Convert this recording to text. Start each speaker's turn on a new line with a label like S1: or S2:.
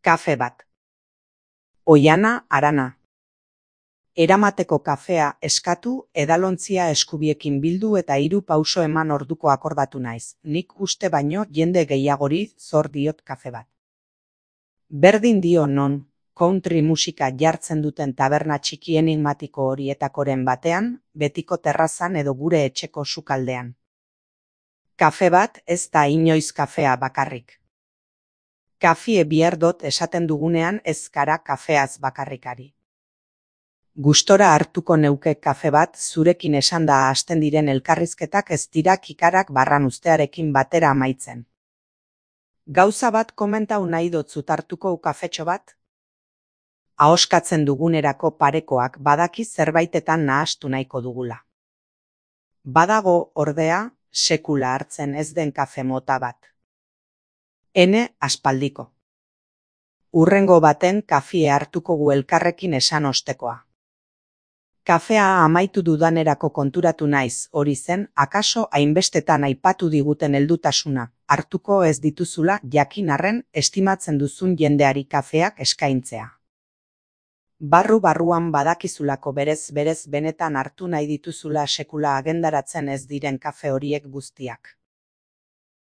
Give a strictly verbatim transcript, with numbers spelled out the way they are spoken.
S1: Kafe bat. Oihana, harana. Eramateko kafea eskatu, edalontzia eskubiekin bildu eta hiru pauso eman orduko akordatu naiz. Nik uste baino jende gehiagori zor diot kafe bat. Berdin dio non, country musika jartzen duten taberna txiki enigmatiko horietakoren batean, betiko terrazan edo gure etxeko sukaldean. Kafe bat ez da inoiz kafea bakarrik. Kafie bihar dot esaten dugunean ez gara kafeaz bakarrikari. Gustora hartuko neuke kafe bat zurekin esanda hasten diren elkarrizketak ez dira kikarak barran uztearekin batera amaitzen. Gauza bat komentau nahi dotzut hartuko kafetxo bat? Ahoskatzen dugunerako parekoak badaki zerbaitetan nahastu nahiko dugula. Badago, ordea, sekula hartzen ez den kafe mota bat. Ene aspaldiko. Urrengo baten kafie hartuko gu elkarrekin esan ostekoa. Kafea amaitu dudanerako konturatu naiz, hori zen, akaso hainbestetan aipatu diguten heldutasuna, hartuko ez dituzula jakin arren estimatzen duzun jendeari kafeak eskaintzea. Barru-barruan badakizulako berez-berez benetan hartu nahi dituzula sekula agendaratzen ez diren kafe horiek guztiak.